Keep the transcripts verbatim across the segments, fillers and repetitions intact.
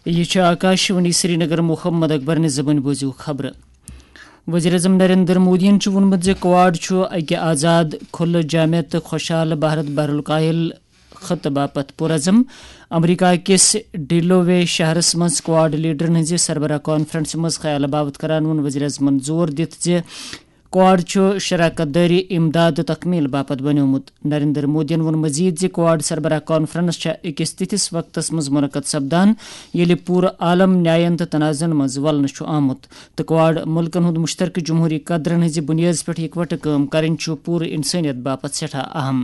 یہِ چھُ آکاشوانی سرینگر۔ محمد اکبر نہِ زبٲنۍ بوٗزِو خبرٕ۔ وزیر اعظم نریندر مودیَن چھُ ووٚنمُت زِ کواڈ چھُ اَکہِ آزاد، کھُلہٕ، جامع تہٕ خۄشحال بھارت بحرالکاہل خطہٕ باپتھ پُرعزم۔ امریکہ کِس ڈیلوے شہرَس منٛز کواڈ لیڈرَن ہٕنٛزِ سربراہ کانفرنسہِ منٛز خیال باوت کران ووٚن وزیر اعظمَن زور دِتھ زِ کواڈ چھُ شراکت دٲری، امداد تہٕ تکمیل باپتھ بنیومُت۔ نریندر مودیَن ووٚن مزید زِ کواڈ سربراہ کانفرنس چھےٚ أکِس تِتھِس وقتس منٛز منعقد سپدان، ییٚلہِ پوٗرٕ عالم نیاین تہٕ تنازعن منٛز ولنہٕ چھُ آمُت، تہٕ کواڈ مُلکن ہُنٛد مشترکہٕ جمہوری قدرن ہٕنٛزِ بُنیٲدِ پٮ۪ٹھ یِکوٹہٕ کٲم کرٕنۍ چھُ پوٗرٕ انسٲنیت باپتھ سٮ۪ٹھاہ اہم۔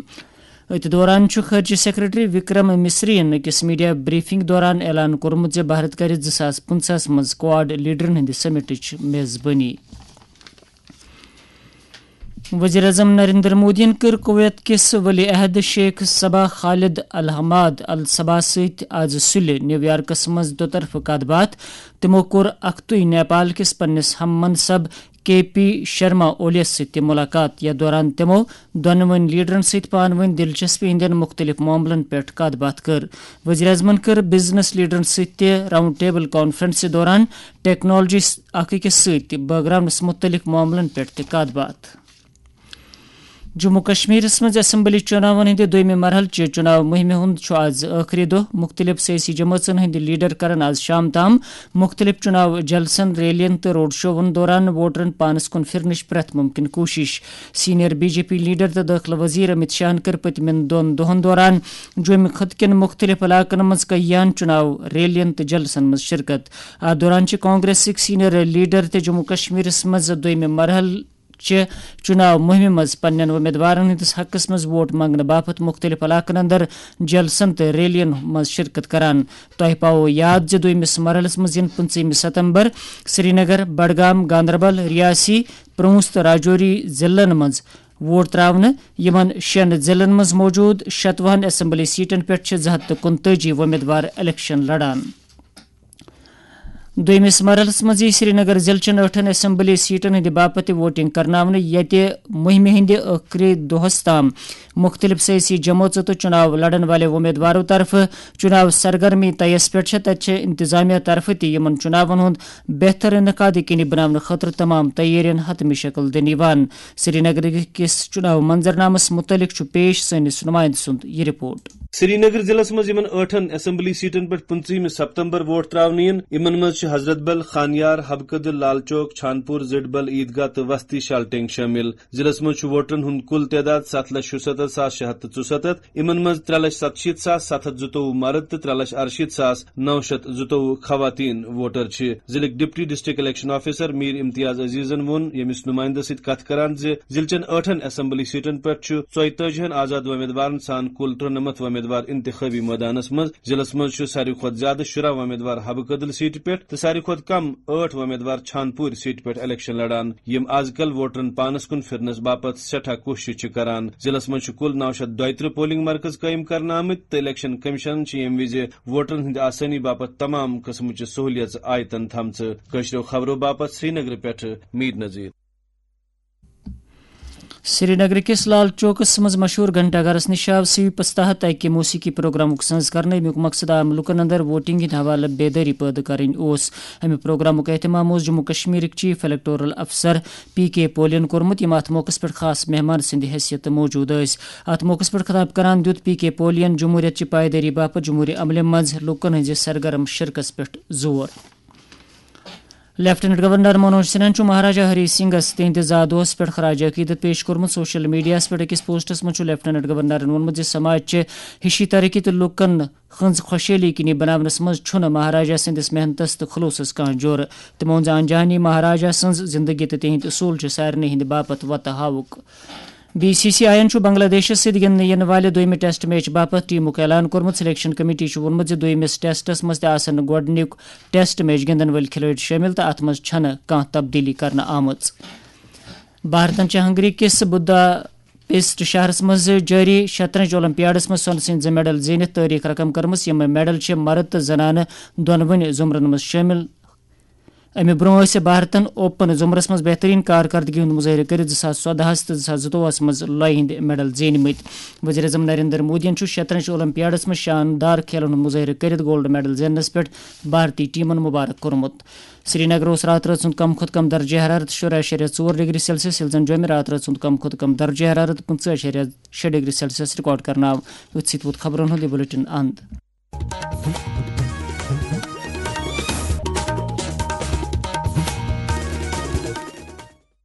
أتھۍ دوران چھُ خارجہ سیکرٹری وکرم مصریَن أکِس میڈیا بریفنگ دوران اعلان کوٚرمُت زِ بھارت کرِ زٕ ساس پٕنٛژٕہَس منٛز کواڈ لیڈرن ہٕنٛدِ سمٹٕچ میزبٲنی۔ وزیر اعظم نریندر مودیَن کٔر کویت کِس ولی عہد شیخ صبا خالد الحماد الصبا سۭتۍ آز سُلہِ نیویارکس منٛز دُطرفہٕ کتھ باتھ۔ تِمَو کوٚر اکھتُے نیپال کِس پننِس ہم منصب کے پی شرما اولیَس سۭتۍ تہِ مُلاقات۔ یَتھ دوران تِمَو دۄنوٕنۍ لیڈرَن سۭتۍ پانہٕ ؤنۍ دلچسپی ہٕنٛدٮ۪ن مُختٔلِف معاملَن پٮ۪ٹھ کتھ باتھ کٔر۔ وزیر اعظمَن کٔر بزنس لیڈرَن سۭتۍ تہِ راؤنڈ ٹیبل کانفرنسہِ دوران ٹیکنالوجی اکھ أکِس سۭتۍ بٲگراونس مُتعلق معاملن پٮ۪ٹھ تہِ کتھ باتھ۔ جموں کشمیرس منٛز اسمبلی چُناون ہٕنٛدِ دوٚیمہِ مرحلہٕ چہِ چُناو مُہِمہِ ہُنٛد چھُ آز ٲخری دۄہ۔ مُختٔلِف سیٲسی جمٲژن ہٕنٛدۍ لیڈر کرن آز شام تام مُختٔلِف چُناو جلسن، ریلین تہٕ روڈ شوون دوران ووٹرن پانس کُن پھِرنٕچ پرٛٮ۪تھ مُمکِن کوٗشش۔ Senior B J P leader تہٕ دٲخلہٕ وزیر امت شاہن کٔر پٔتمٮ۪ن دۄن دۄہن دوران جوٚمہِ خطہٕ کٮ۪ن مُختٔلِف علاقن منٛز کیاہن چُناو ریلین تہٕ جلسن منٛز شرکت۔ اتھ دوران چھِ کانگریسٕکۍ سینئر لیڈر تہِ جموں کشمیرس منٛز دوٚیمہِ مرحلہٕ چہِ چُناو مُہِمہِ منٛز پننٮ۪ن امیدوارن ہٕنٛدِس حقس منٛز ووٹ منگنہٕ باپتھ مُختٔلِف علاقن اندر جلسن تہٕ ریلین منٛز شرکت کران۔ تۄہہِ پاوو یاد زِ دوٚیمِس مرحلس منٛز یِن پٕنٛژٕہمہِ ستمبر سرینگر، بڈگام، گاندربل، ریاسی، پرونس تہٕ راجوری ضلعن منٛز ووٹ تراونہٕ۔ یِمن شٮ۪ن ضلعن منٛز موجود شتوُہن اسمبلی سیٹن پٮ۪ٹھ چھِ زٕ ہتھ تہٕ کُنتٲجی وۄمیدوار الیکشن لڑان۔ دوٚیمِس مرحلَس منٛز یِیہِ سرینگر ضلعہٕ چٮ۪ن ٲٹھن اسمبلی سیٹن ہٕنٛدِ باپتھ تہِ ووٹنگ کرناونہٕ، ییٚتہِ مُہِمہِ ہٕنٛدِ ٲخری دۄہَس تام مُختٔلِف سیٲسی جمٲژو تہٕ چُناو لڑن والٮ۪و امیدوارو طرفہٕ چُناو سرگرمی طیَس پٮ۪ٹھ چھےٚ۔ تَتہِ چھےٚ انتظامیہ طرفہٕ تہِ یِمَن چُناون ہُنٛد بہتر انعقاد یقینی بناونہٕ خٲطرٕ تمام تیٲرین حتمی شکل دِنہٕ یِوان۔ سرینگرٕ کِس چُناو منظرنامَس مُتعلِق چھُ پیش سٲنِس نُمایندٕ سُنٛد یہِ رپورٹ۔ سرینگر ضلعس منٛز یِمن ٲٹھن اسمبلی سیٹن پٮ۪ٹھ پٕنٛژٕہمہِ ستمبر ووٹ تراونہٕ یِن، یِمن منٛز چھِ حضرت بل، خانیار، حبہٕ کدل، لال چوک، چھانپور، زڈبل، عیدگاہ تہٕ وستی شالٹینگ شٲمِل۔ ضلعس منٛز چھُ ووٹرن ہُنٛد کُل تعداد ستھ لچھ شُستتھ ساس شےٚ ہتھ تہٕ ژُستتھ۔ یِمن منٛز ترٛےٚ لچھ ستشیٖتھ ساس ستھ ہتھ زٕتووُہ مرد تہٕ ترٛےٚ لچھ ارشیٖتھ ساس نو شتھ زٕتووُہ خواتین ووٹر چھِ۔ ضلعٕکۍ deputy district election officer Mir Imtiyaz عزیزن ووٚن ییٚمِس نُمایندٕ سۭتۍ کتھ کران زِ ضلعہٕ چٮ۪ن ٲٹھن اسمبلی سیٹن پٮ۪ٹھ چھُ ژۄیتٲجی ہن آزاد وۄمیدوارن سان کُل ترُنمتھ وۄمیدوار انتخٲبی مٲدانس منٛز۔ ضلعس منٛز چھُ ساروی کھۄتہٕ زیادٕ شُراہ وۄمیدوار حبہٕ کدل سیٹہِ پٮ۪ٹھ تہٕ ساروی کھۄتہٕ کم ٲٹھ وۄمیدوار چھانپوٗر سیٹہِ پٮ۪ٹھ الیکشن لڑان، یِم از کل ووٹرن پانس کُن پھرنس باپتھ سٮ۪ٹھاہ کوٗشش چھِ کران۔ ضلعس منٛز چھِ کُل نو شتھ دۄیترٕہ پولنگ مرکز قٲیِم کرنہٕ آمٕتۍ تہٕ الیکشن کمیشنن چھِ ییٚمہِ وِزِ ووٹرن ہٕنٛدِ آسٲنی باپتھ تمام قٕسمٕچہِ سہوٗلیژٕ آیتن تھامژٕ۔ کٲشرٮ۪و خبرو باپتھ سرینگرٕ پٮ۪ٹھٕ میٖر نذیٖر۔ سرینگرٕ کِس لال چوکس منٛز مشہوٗر گھنٹہ گرس نِش آو سویپس تحت اکہِ موسیقی پروگرامُک سنز کرنہٕ۔ امیُک مقصد عام لوٗکن اندر ووٹنگ ہٕنٛدِ حوالہٕ بیدٲری پٲدٕ کرٕنۍ اوس۔ امہِ پروگرامُک اہتمام اوس جموں کشمیرٕکۍ چیف الیکٹورل افسر پی کے پولین کوٚرمُت، یِم اتھ موقعس پٮ۪ٹھ خاص مہمان سٕنٛدِ حیثیتہٕ موجود ٲسۍ۔ اتھ موقعس پٮ۪ٹھ خطاب کران دِیُت پی کے پولین جمہوٗرِیت چہِ پایدٲری باپتھ جمہوٗری عملہِ منٛز لوٗکن ہٕنٛزِ سرگرم شرکتس پٮ۪ٹھ زور۔ لیفٹیننٹ گورنر منوج سنہاہن چھُ مہاراجا ہری سنگھس تِہنٛدِ زا دۄہس پٮ۪ٹھ خراج عقیدت پیش کوٚرمُت۔ سوشل میڈیاہَس پٮ۪ٹھ أکِس پوسٹس منٛز چھُ لیفٹیننٹ گورنرن ووٚنمُت زِ سماج چھِ ہِشی ترقی تہٕ لوٗکن ہٕنٛز خۄشحٲلی یقینی بناونس منٛز چھُنہٕ مہاراجا سٕنٛدِس محنتس تہٕ خلوصس کانٛہہ جورٕ۔ تِمو ووٚن زِ انجہانی مہاراجا سٕنٛز زندگی تہٕ تِہنٛدۍ اصوٗل چھِ سارنٕے ہٕنٛدِ باپتھ وتہٕ ہاوُک۔ بی سی سی آیَن چھُ بنگلہ دیشَس سۭتۍ گِنٛدنہٕ یِنہٕ والہِ دوٚیمہِ ٹیسٹ میچ باپتھ ٹیمُک اعلان کوٚرمُت۔ سلیکشن کمیٹی چھُ ووٚنمُت زِ دوٚیمِس ٹیسٹَس منٛز تہِ آسَن گۄڈٕنیُک ٹیسٹ میچ گِنٛدَن وٲلۍ کھلٲڑۍ شٲمِل تہٕ اَتھ منٛز چھَنہٕ کانٛہہ تبدیٖلی کرنہٕ آمٕژ۔ بھارتَن چھِ ہنگری کِس بُدا پیسٹ شہرَس منٛز جٲری شطرنج اولمپیاڈَس منٛز سۄنہٕ سٕنٛدۍ زٕ میڈل زیٖنِتھ تٲریخ رقم کٔرمٕژ۔ یِم میڈل چھِ مرد تہٕ زنانہٕ دۄنوٕنی زمرَن منٛز شٲمِل۔ امہِ برونٛہہ ٲسۍ بھارتن اوپن زمرس منٛز بہترین کارکردگی ہُنٛد مظٲہرٕ کٔرِتھ زٕ ساس ژۄدہَس تہٕ زٕ ساس زٕتووُہَس منٛز لۄیہِ ہٕنٛدۍ میڈل زینمٕتۍ۔ وزیر اعظم نریندر مودیَن چھُ شطرنج اولمپیاڈس منٛز شاندار کھیلن ہُنٛد مظٲہرٕ کٔرِتھ گولڈ میڈل زیننس پٮ۪ٹھ بھارتی ٹیمن مبارک کوٚرمُت۔ سرینگرس راتہٕ رٲژ ہُنٛد کم کھۄتہٕ کم درجہ حرارت شُراہ اَشاریہ ژور ڈگری سیلسیس، ییٚلہِ زن جوٚمہِ راتہٕ رٲژ ہُنٛد کم کھۄتہٕ کم درجہ حرارت پٕنٛژٕہ اَشاریہ شےٚ ڈگری سیلسیس ریکارڈ کرنہٕ آو۔ أتھۍ سۭتۍ ووت خبرن ہُنٛد یہِ بلیٹن اند۔